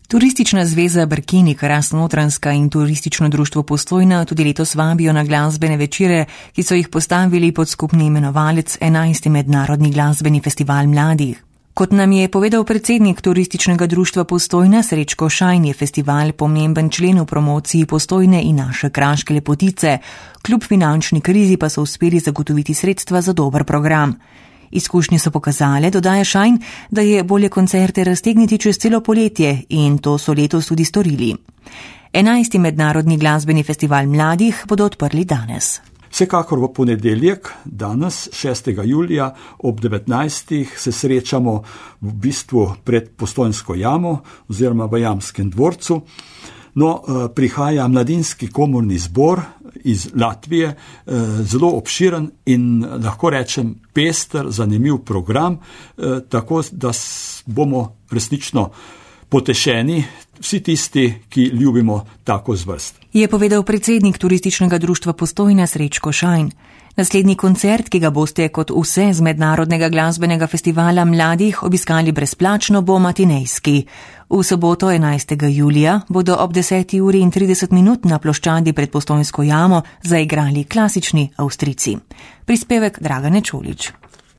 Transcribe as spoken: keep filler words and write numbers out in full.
Turistična zveza Brkini, Kras-Notranjska in Turistično društvo Postojna tudi letos vabijo na glasbene večere, ki so jih postavili pod skupni imenovalec enajsti mednarodni glasbeni festival mladih. Kot nam je povedal predsednik Turističnega društva Postojna Srečko Šajn, je festival pomemben člen v promociji Postojne in naše kraške lepotice. Kljub finančni krizi pa so uspeli zagotoviti sredstva za dober program. Izkušnje so pokazale, dodaja Šajn, da je bolje koncerte raztegniti čez celo poletje in to so letos tudi storili. enajsti mednarodni glasbeni festival mladih bodo odprli danes. Vsekakor v ponedeljek, danes, šestega julija, ob devetnajstih se srečamo v bistvu pred Postojnsko jamo oziroma v Jamskem dvorcu. No, prihaja mladinski komorni zbor iz Latvije, zelo obširen in lahko rečem pester, zanimiv program, tako da bomo resnično potešeni vsi tisti, ki ljubimo tako zvrst. Je povedal predsednik Turističnega društva Postojna Srečko Šajn. Naslednji koncert, ki ga boste kot vse z mednarodnega glasbenega festivala mladih obiskali brezplačno, bo matinejski. V soboto enajstega julija bodo ob deseti uri in trideset minut na ploščadi pred Postojnsko jamo zaigrali klasični Avstrijci. Prispevek Dragane Čolić.